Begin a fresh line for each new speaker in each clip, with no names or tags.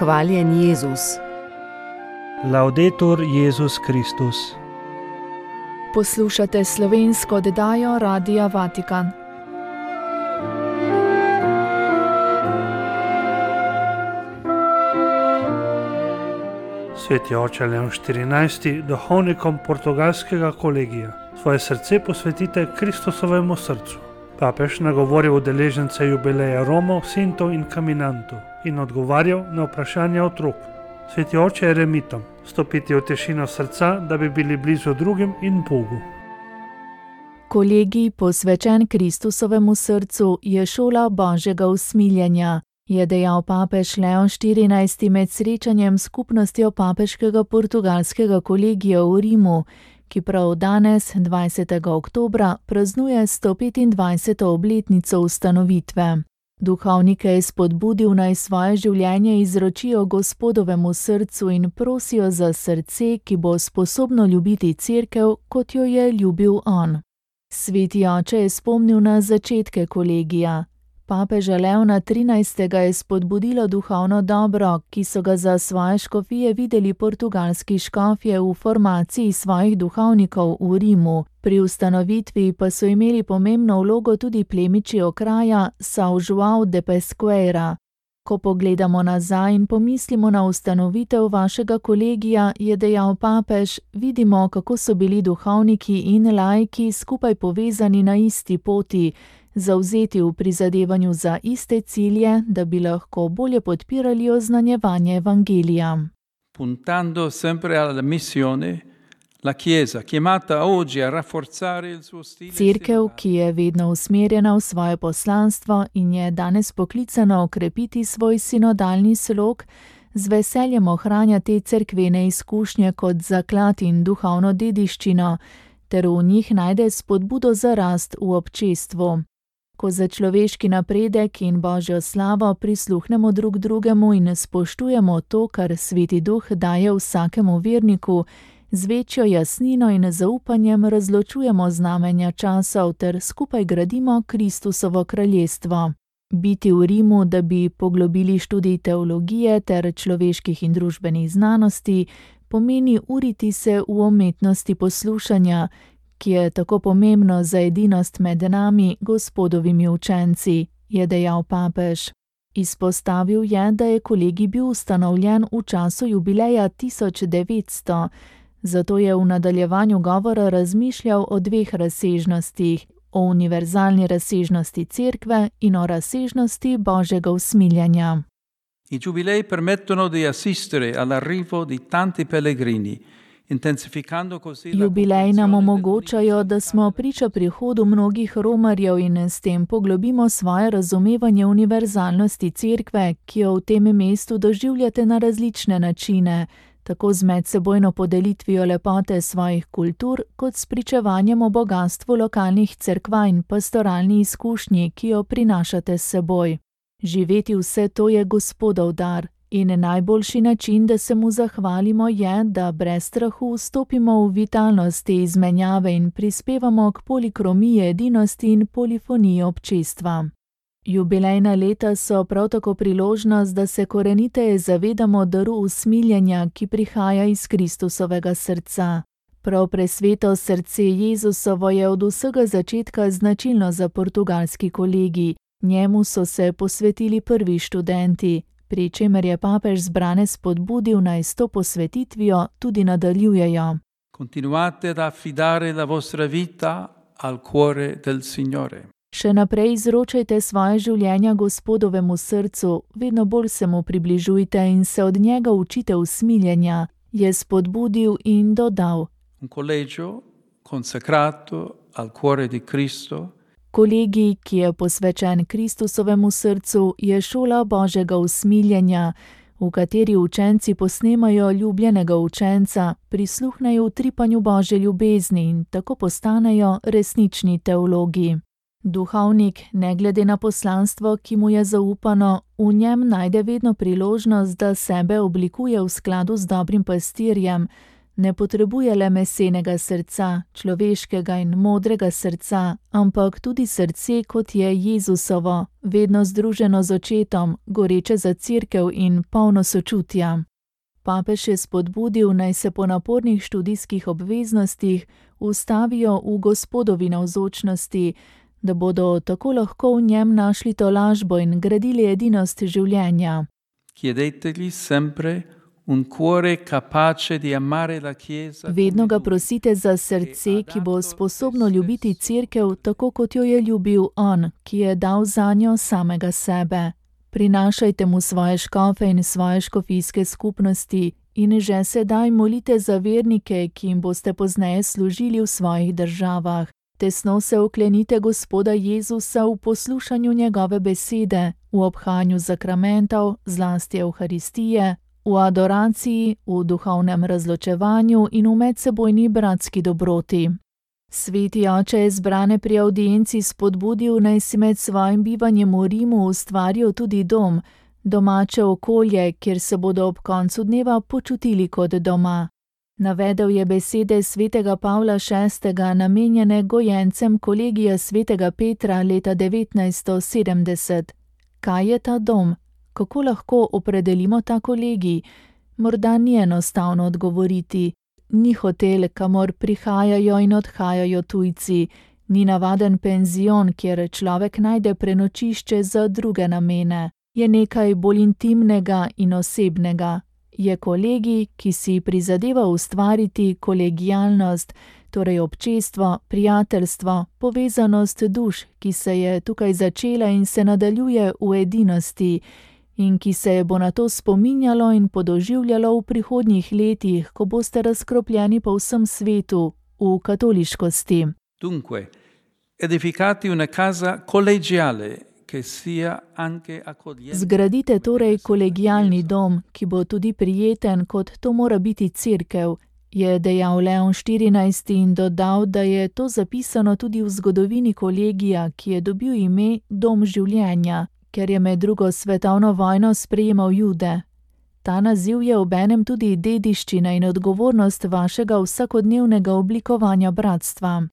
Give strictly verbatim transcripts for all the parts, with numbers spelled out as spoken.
Hvaljen Jezus.
Laudetur Jezus Kristus.
Poslušate slovensko oddajo Radia Vatikan.
Sveti oče Leon štirinajsti, duhovnikom portugalskega kolegija, svoje srce posvetite Kristusovemu srcu. Papež nagovoril udeležence jubileja Romov, Sintov in Caminantov in odgovarjal na vprašanja otrok. Sveti oče eremitom, stopiti v tišino srca, da bi bili blizu drugim in Bogu.
Kolegij, posvečen Kristusovemu srcu, je šola Božjega usmiljenja, je dejal papež Leon štirinajsti med srečanjem s skupnostjo papeškega portugalskega kolegija v Rimu, ki prav danes, dvajsetega oktobra, praznuje sto petindvajseto obletnico ustanovitve. Duhovnike je spodbudil, naj svoje življenje izročijo Gospodovemu srcu in prosijo za srce, ki bo sposobno ljubiti cerkev, kot jo je ljubil on. Sveti oče je spomnil na začetke kolegija. Papeža Leona trinajstega je spodbudilo duhovno dobro, ki so ga za svoje škofije videli portugalski škofje v formaciji svojih duhovnikov v Rimu. Pri ustanovitvi pa so imeli pomembno vlogo tudi plemiči okraja São João de Pesqueira. Ko pogledamo nazaj in pomislimo na ustanovitev vašega kolegija, je dejal papež, vidimo, kako so bili duhovniki in laiki skupaj povezani na isti poti, zavzeti v prizadevanju za iste cilje, da bi lahko bolje podpirali oznanjevanje evangelija.
Puntando sempre alla missione, la Chiesa, chiamata oggi a rafforzare il suo stile.
Cerkev, ki je vedno usmerjena v svoje poslanstvo in je danes poklicana okrepiti svoj sinodalni slog, z veseljem ohranja te cerkvene izkušnje kot zaklad in duhovno dediščino, ter v njih najde spodbudo za rast v občestvu. Ko za človeški napredek in Božjo slavo prisluhnemo drug drugemu in spoštujemo to, kar Sveti Duh daje vsakemu verniku, z večjo jasnino in zaupanjem razločujemo znamenja časov ter skupaj gradimo Kristusovo kraljestvo. Biti v Rimu, da bi poglobili študij teologije ter človeških in družbenih znanosti, pomeni uriti se v umetnosti poslušanja, ki je tako pomembno za edinost med nami, Gospodovimi učenci, je dejal papež. Izpostavil je, da je kolegij bil ustanovljen v času jubileja tisoč devetsto, zato je v nadaljevanju govora razmišljal o dveh razsežnostih, o univerzalni razsežnosti cerkve in o razsežnosti Božjega usmiljenja.
I giubilei permettono di assistere all'arrivo di tanti pellegrini, intensificando così la
Jubileji nam omogočajo, da smo priča prihodu mnogih romarjev in s tem poglobimo svoje razumevanje univerzalnosti cerkve, ki jo v tem mestu doživljate na različne načine, tako z medsebojno podelitvijo lepote svojih kultur, kot s pričevanjem o bogastvu lokalnih cerkva in pastoralni izkušnji, ki jo prinašate s seboj. Živeti vse to je Gospodov dar. In najboljši način, da se mu zahvalimo, je, da brez strahu vstopimo v vitalnost te izmenjave in prispevamo k polikromiji edinosti in polifoniji občestva. Jubilejna leta so prav tako priložnost, da se koreniteje zavedamo daru usmiljenja, ki prihaja iz Kristusovega srca. Prav presveto srce Jezusovo je od vsega začetka značilno za portugalski kolegij. Njemu so se posvetili prvi študenti, pri čemer je papež zbrane spodbudil, naj s to posvetitvijo tudi nadaljujejo.
Continuate ad affidare la vostra vita al cuore del Signore.
Še naprej izročajte svoje življenja Gospodovemu srcu, vedno bolj se mu približujte in se od njega učite usmiljenja, je spodbudil in dodal.
Un collegio consacrato al cuore di Cristo.
Kolegij, ki je posvečen Kristusovemu srcu, je šola Božjega usmiljenja, v kateri učenci posnemajo ljubljenega učenca, prisluhnejo utripanju Božje ljubezni in tako postanejo resnični teologi. Duhovnik, ne glede na poslanstvo, ki mu je zaupano, v njem najde vedno priložnost, da sebe oblikuje v skladu z dobrim pastirjem, ne potrebuje le mesenega srca, človeškega in modrega srca, ampak tudi srce, kot je Jezusovo, vedno združeno z očetom, goreče za cerkev in polno sočutja. Papež je spodbudil, naj se po napornih študijskih obveznostih ustavijo v Gospodovi navzočnosti, da bodo tako lahko v njem našli tolažbo in gradili edinost življenja.
Chiedetegli sempre un cuore capace di amare la Chiesa.
Vedno ga prosite za srce, ki bo sposobno ljubiti cerkev tako, kot jo je ljubil on, ki je dal zanjo samega sebe. Prinašajte mu svoje škofe in svoje škofijske skupnosti in že sedaj molite za vernike, ki jim boste pozneje služili v svojih državah. Tesno se oklenite Gospoda Jezusa v poslušanju njegove besede, v obhanju zakramentov, zlasti Evharistije, v adoraciji, v duhovnem razločevanju in v medsebojni bratski dobroti. Sveti oče je zbrane pri avdienci spodbudil, naj si med svojim bivanjem v Rimu ustvarijo tudi dom, domače okolje, kjer se bodo ob koncu dneva počutili kot doma. Navedel je besede svetega Pavla šestega namenjene gojencem kolegija svetega Petra leta devetnajststo sedemdeset. Kaj je ta dom? Kako lahko opredelimo ta kolegij? Morda ni enostavno odgovoriti. Ni hotel, kamor prihajajo in odhajajo tujci. Ni navaden penzion, kjer človek najde prenočišče za druge namene. Je nekaj bolj intimnega in osebnega. Je kolegij, ki si prizadeva ustvariti kolegialnost, torej občestvo, prijateljstvo, povezanost duš, ki se je tukaj začela in se nadaljuje v edinosti in ki se je bo na to spominjalo in podoživljalo v prihodnjih letih, ko boste razkropljeni po vsem svetu, v katoliškosti.
Dunque, edificati una casa collegiale,
Zgradite torej kolegialni dom, ki bo tudi prijeten, kot to mora biti cerkev, je dejal Leon štirinajsti in dodal, da je to zapisano tudi v zgodovini kolegija, ki je dobil ime Dom življenja, ker je med drugo svetovno vojno sprejemal Jude. Ta naziv je obenem tudi dediščina in odgovornost vašega vsakodnevnega oblikovanja bratstva.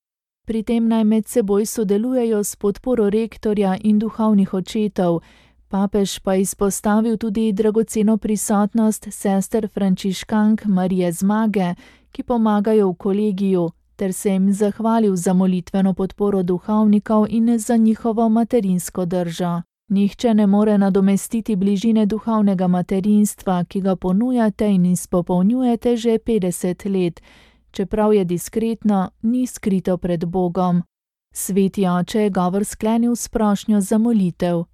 Pri tem naj med seboj sodelujejo s podporo rektorja in duhovnih očetov. Papež pa izpostavil tudi dragoceno prisotnost sester frančiškank Marije Zmage, ki pomagajo v kolegiju, ter se jim zahvalil za molitveno podporo duhovnikov in za njihovo materinsko držo. Nihče ne more nadomestiti bližine duhovnega materinstva, ki ga ponujate in izpopolnjujete že petdeset let. Čeprav je diskretno, ni skrito pred Bogom. Sveti oče je govor sklenil s prošnjo za molitev.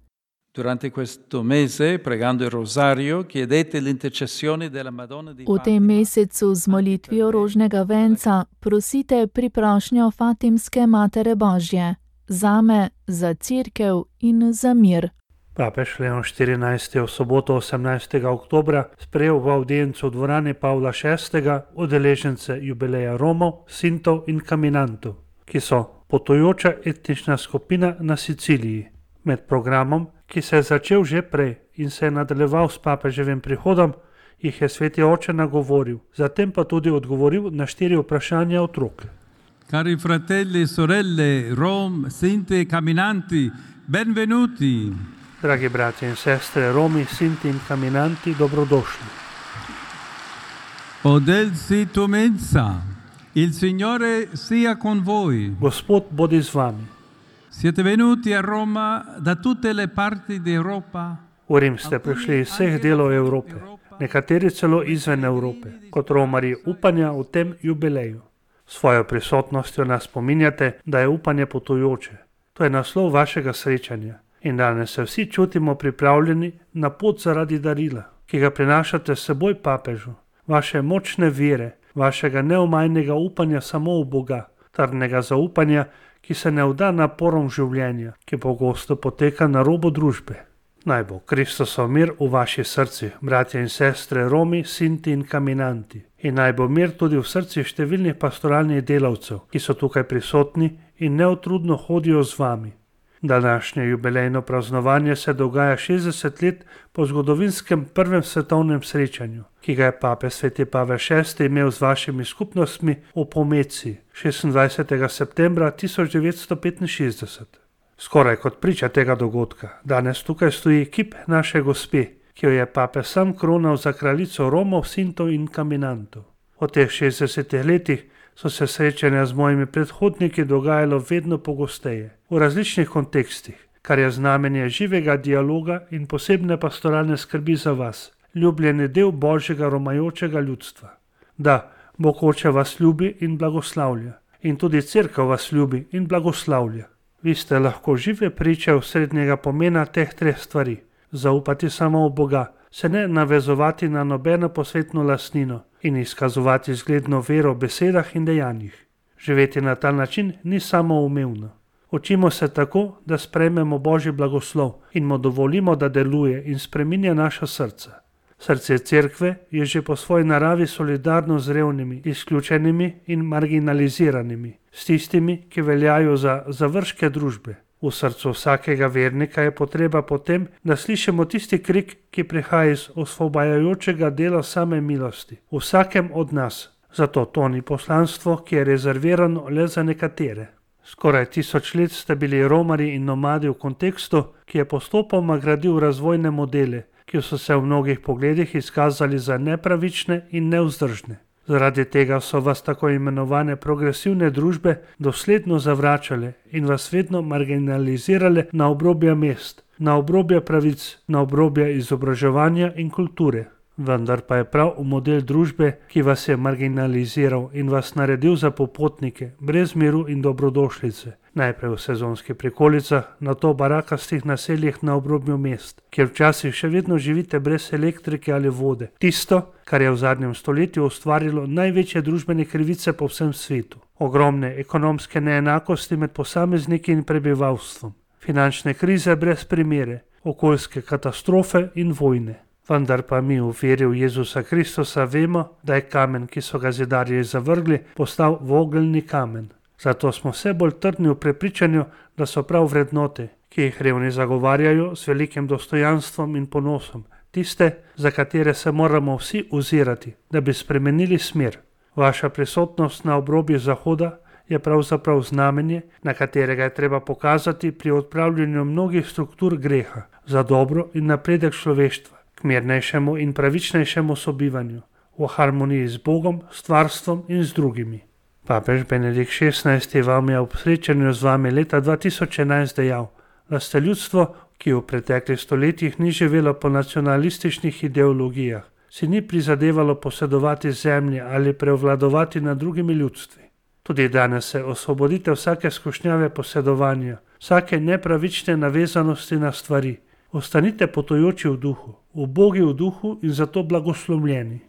Durante questo mese, pregando il rosario, chiedete l'intercessione della Madonna di
V tem mesecu z molitvijo rožnega venca prosite priprošnjo Fatimske Matere Božje, zame, za cerkev in za mir.
Papež Leon štirinajsti je v soboto osemnajstega oktobra sprejel v avdiencu v dvorani Pavla šestega udeležence jubileja Romov, Sintov in Caminantov, ki so potujoča etnična skupina na Siciliji. Med programom, ki se je začel že prej in se je nadaljeval s papeževim prihodom, jih je sveti oče nagovoril, zatem pa tudi odgovoril na štiri vprašanja otrok.
Cari fratelli e sorelle, Rom, Sinti e Caminanti, benvenuti!
Dragi bratje in sestre, Romi, Sinti in Caminanti, dobrodošli.
Odelsi tu mensa, il Signore sia con voi.
Gospod bodi z vami.
Siete venuti a Roma da tutte le parti d'Europa?
V Rim ste prišli iz vseh delov Evrope, nekateri celo izven Evrope, kot romarji upanja v tem jubileju. Svojo prisotnostjo nas spominjate, da je upanje potujoče. To je naslov vašega srečanja. In danes se vsi čutimo pripravljeni na pot zaradi darila, ki ga prinašate s seboj papežu, vaše močne vere, vašega neomajnega upanja samo v Boga, trdnega zaupanja, ki se ne vda naporom življenja, ki pogosto poteka na robu družbe. Naj bo Kristusov mir v vaši srci, bratje in sestre, Romi, Sinti in Caminanti. In naj bo mir tudi v srci številnih pastoralnih delavcev, ki so tukaj prisotni in neutrudno hodijo z vami. Današnje jubilejno praznovanje se dogaja šestdeset let po zgodovinskem prvem svetovnem srečanju, ki ga je papež sveti Pavel šesti imel z vašimi skupnostmi v Pomeci šestindvajsetega septembra tisoč devetsto petinšestdeset. Skoraj kot priča tega dogodka, danes tukaj stoji kip naše gospe, ki jo je papež sam kronal za kraljico Romov, Sintov in Caminantov. V teh šestdesetih letih so se srečanja z mojimi predhodniki dogajalo vedno pogosteje, v različnih kontekstih, kar je znamenje živega dialoga in posebne pastoralne skrbi za vas, ljubljeni del Božjega romajočega ljudstva. Da, Bog Oče vas ljubi in blagoslavlja, in tudi Cerkev vas ljubi in blagoslavlja. Vi ste lahko žive priče osrednjega pomena teh treh stvari. Zaupati samo v Boga, se ne navezovati na nobeno posvetno lastnino in izkazovati zgledno vero v besedah in dejanjih. Živeti na ta način ni samoumevno. Učimo se tako, da sprejmemo Božji blagoslov in mu dovolimo, da deluje in spreminja naša srca. Srce Cerkve je že po svoji naravi solidarno z revnimi, izključenimi in marginaliziranimi, s tistimi, ki veljajo za završke družbe. V srcu vsakega vernika je potreba potem, da slišimo tisti krik, ki prihaja iz osvobajajočega dela same milosti, v vsakem od nas. Zato to ni poslanstvo, ki je rezervirano le za nekatere. Skoraj tisoč let ste bili romarji in nomadi v kontekstu, ki je postopoma gradil razvojne modele, ki so se v mnogih pogledih izkazali za nepravične in nevzdržne. Zaradi tega so vas tako imenovane progresivne družbe dosledno zavračale in vas vedno marginalizirale na obrobja mest, na obrobja pravic, na obrobja izobraževanja in kulture. Vendar pa je prav v model družbe, ki vas je marginaliziral in vas naredil za popotnike, brez miru in dobrodošlice, najprej v sezonskih prikolicah, nato v barakastih naseljih na obrobju mest, kjer včasih še vedno živite brez elektrike ali vode. Tisto, kar je v zadnjem stoletju ustvarilo največje družbene krivice po vsem svetu. Ogromne ekonomske neenakosti med posamezniki in prebivalstvom, finančne krize brez primere, okoljske katastrofe in vojne. Vendar pa mi v veri v Jezusa Kristusa vemo, da je kamen, ki so ga zidarji zavrgli, postal vogelni kamen. Zato smo vse bolj trdni v prepričanju, da so prav vrednote, ki jih revni zagovarjajo z velikim dostojanstvom in ponosom, tiste, za katere se moramo vsi ozirati, da bi spremenili smer. Vaša prisotnost na obrobju Zahoda je pravzaprav znamenje, na katerega je treba pokazati pri odpravljanju mnogih struktur greha, za dobro in napredek človeštva, k mirnejšemu in pravičnejšemu sobivanju, v harmoniji z Bogom, stvarstvom in z drugimi. Papež Benedikt šestnajsti vam je ob srečanju z vami leta dva tisoč enajst dejal, da ste ljudstvo, ki v preteklih stoletjih ni živelo po nacionalističnih ideologijah, si ni prizadevalo posedovati zemlje ali prevladovati nad drugimi ljudstvi. Tudi danes se osvobodite vsake skušnjave posedovanja, vsake nepravične navezanosti na stvari. Ostanite potujoči v duhu, ubogi v duhu in zato blagoslovljeni.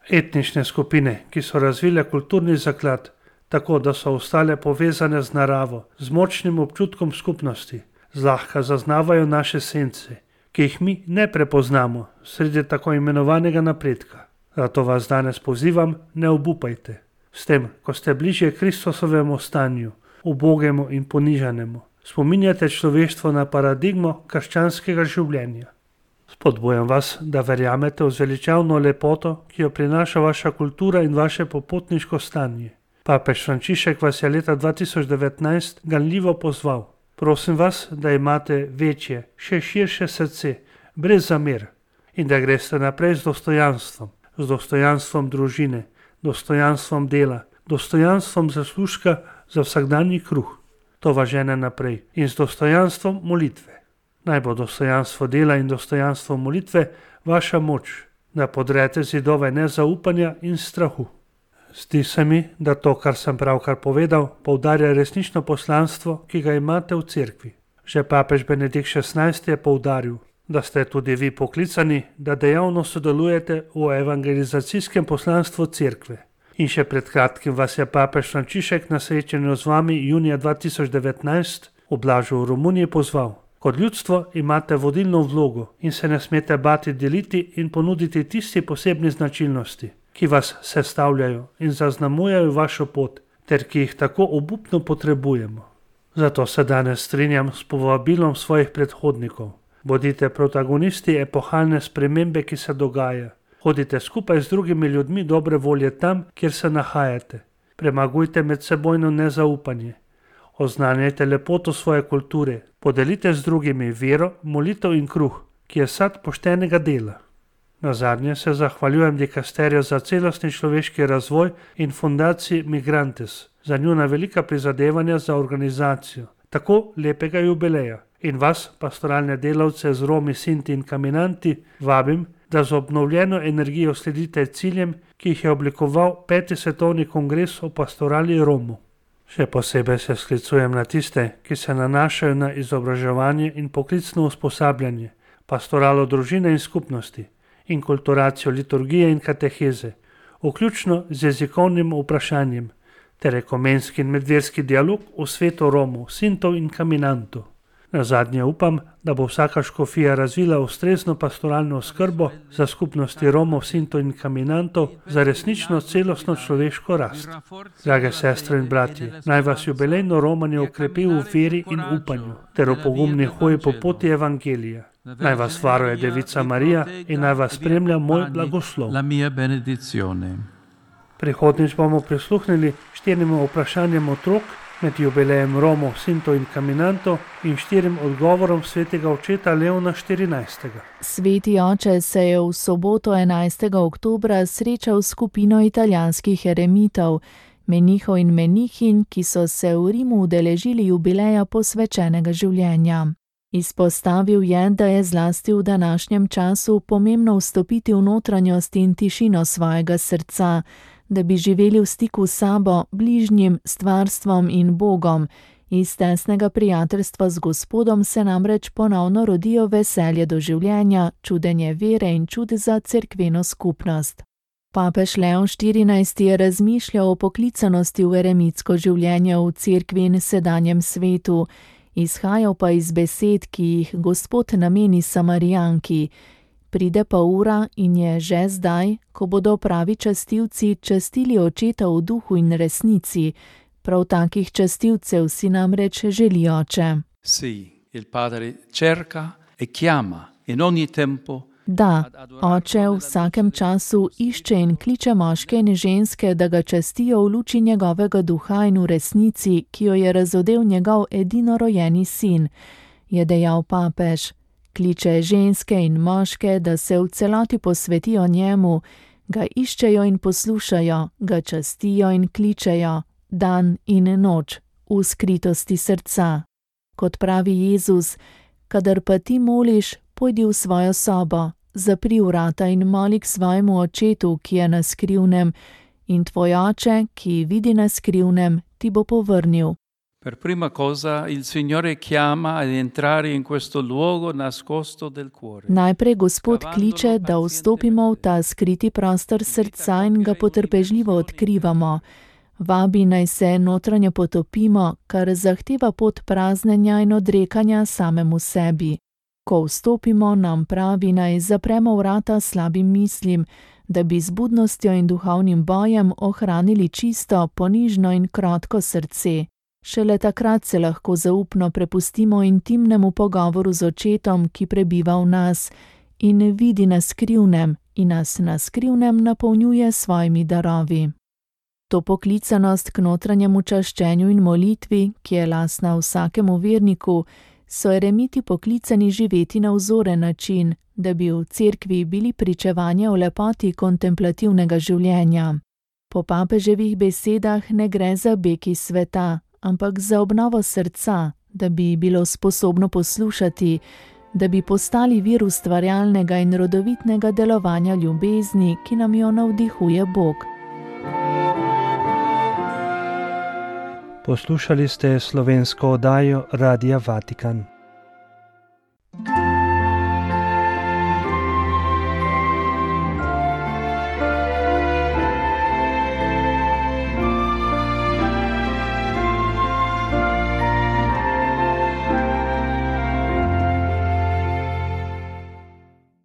Etnične skupine, ki so razvile kulturni zaklad, tako da so ostale povezane z naravo, z močnim občutkom skupnosti, zlahka zaznavajo naše sence, ki jih mi ne prepoznamo sredi tako imenovanega napredka. Zato vas danes pozivam, ne obupajte. S tem, ko ste bližje Kristusovemu stanju, ubogemu in ponižanemu, spominjate človeštvo na paradigmo krščanskega življenja. Spodbujam vas, da verjamete v zveličavno lepoto, ki jo prinaša vaša kultura in vaše popotniško stanje. Papež Frančišek vas je leta dva tisoč devetnajst ganljivo pozval. Prosim vas, da imate večje, še širše srce, brez zamer in da greste naprej z dostojanstvom, z dostojanstvom družine, dostojanstvom dela, dostojanstvom zaslužka za vsakdanji kruh. To vas žene naprej in z dostojanstvom molitve. Naj bo dostojanstvo dela in dostojanstvo molitve vaša moč, da podrete zidove nezaupanja in strahu. Zdi se mi, da to, kar sem pravkar povedal, poudarja resnično poslanstvo, ki ga imate v cerkvi. Že papež Benedikt šestnajsti je poudaril, da ste tudi vi poklicani, da dejavno sodelujete v evangelizacijskem poslanstvu cerkve. In še pred kratkim vas je papež Frančišek na srečanju z vami junija dva tisoč devetnajst v Blažu v Romuniji pozval. Kot ljudstvo imate vodilno vlogo in se ne smete bati deliti in ponuditi tisti posebni značilnosti, ki vas sestavljajo in zaznamujejo vašo pot, ter ki jih tako obupno potrebujemo. Zato se danes strinjam s povabilom svojih predhodnikov. Bodite protagonisti epohalne spremembe, ki se dogaja. Hodite skupaj z drugimi ljudmi dobre volje tam, kjer se nahajate. Premagujte medsebojno nezaupanje. Oznanjajte lepoto svoje kulture. Podelite z drugimi vero, molitev in kruh, ki je sad poštenega dela. Nazadnje se zahvaljujem dikasterju za celostni človeški razvoj in fundaciji Migrantes za njuna velika prizadevanja za organizacijo tako lepega jubileja. In vas, pastoralne delavce z Romi, Sinti in Caminanti, vabim, da z obnovljeno energijo sledite ciljem, ki jih je oblikoval peti svetovni kongres o pastorali Romov. Še posebej se sklicujem na tiste, ki se nanašajo na izobraževanje in poklicno usposabljanje, pastoralo družine in skupnosti, inkulturacijo liturgije in kateheze, vključno z jezikovnim vprašanjem, ter ekumenski in medverski dialog v svetu Romov, Sintov in Caminantov. Nazadnje upam, da bo vsaka škofija razvila ustrezno pastoralno oskrbo za skupnosti Romov, Sintov in Caminantov za resnično celostno človeško rast. Drage sestre in bratje, naj vas jubilejno romanje okrepi v veri in upanju ter v pogumni hoji po poti evangelija. Naj vas varuje Devica Marija in naj vas spremlja moj blagoslov. Prihodnjič bomo prisluhnili štirim vprašanjem otrok med jubilejem Romov, Sintov in Caminantov in štirim odgovorom svetega očeta Leona štirinajstega.
Sveti oče se je v soboto enajstega oktobra srečal s skupino italijanskih eremitov, menihov in menihinj, ki so se v Rimu udeležili jubileja posvečenega življenja. Izpostavil je, da je zlasti v današnjem času pomembno vstopiti v notranjost in tišino svojega srca, da bi živeli v stiku s sabo, bližnjim, stvarstvom in Bogom. Iz tesnega prijateljstva z Gospodom se namreč ponovno rodijo veselje do življenja, čudenje vere in čud za cerkveno skupnost. Papež Leon štirinajsti je razmišljal o poklicanosti v eremitsko življenje v cerkvi in sedanjem svetu, izhajal pa iz besed, ki jih Gospod nameni Samarijanki. Pride pa ura in je že zdaj, ko bodo pravi častilci častili očeta v duhu in resnici. Prav takih častilcev si namreč želi oče. Da, oče v vsakem času išče in kliče moške in ženske, da ga častijo v luči njegovega duha in v resnici, ki jo je razodel njegov edinorojeni sin, je dejal papež. Kliče ženske in moške, da se v celoti posvetijo njemu, ga iščejo in poslušajo, ga častijo in kličejo, dan in noč, v skritosti srca. Kot pravi Jezus, kadar pa ti moliš, pojdi v svojo sobo, zapri vrata in moli k svojemu očetu, ki je na skrivnem, in tvoj oče, ki vidi na skrivnem, ti bo povrnil.
Per prima cosa il Signore chiama ad entrare in questo luogo nascosto del cuore.
Najprej Gospod kliče, da vstopimo v ta skriti prostor srca in ga potrpežljivo odkrivamo. Vabi naj se notranje potopimo, kar zahteva pot praznenja in odrekanja samemu sebi. Ko vstopimo, nam pravi naj zapremo vrata slabim mislim, da bi z budnostjo in duhovnim bojem ohranili čisto, ponižno in krotko srce. Šele takrat se lahko zaupno prepustimo intimnemu pogovoru z očetom, ki prebiva v nas in vidi na skrivnem in nas na skrivnem napolnjuje svojimi darovi. To poklicanost k notranjemu čaščenju in molitvi, ki je lastna vsakemu verniku, so eremiti poklicani živeti na vzoren način, da bi v cerkvi bili pričevanje o lepoti kontemplativnega življenja. Po papeževih besedah ne gre za beg iz sveta, ampak za obnovo srca, da bi bilo sposobno poslušati, da bi postali vir ustvarjalnega in rodovitnega delovanja ljubezni, ki nam jo navdihuje Bog.
Poslušali ste slovensko oddajo Radia Vatikan.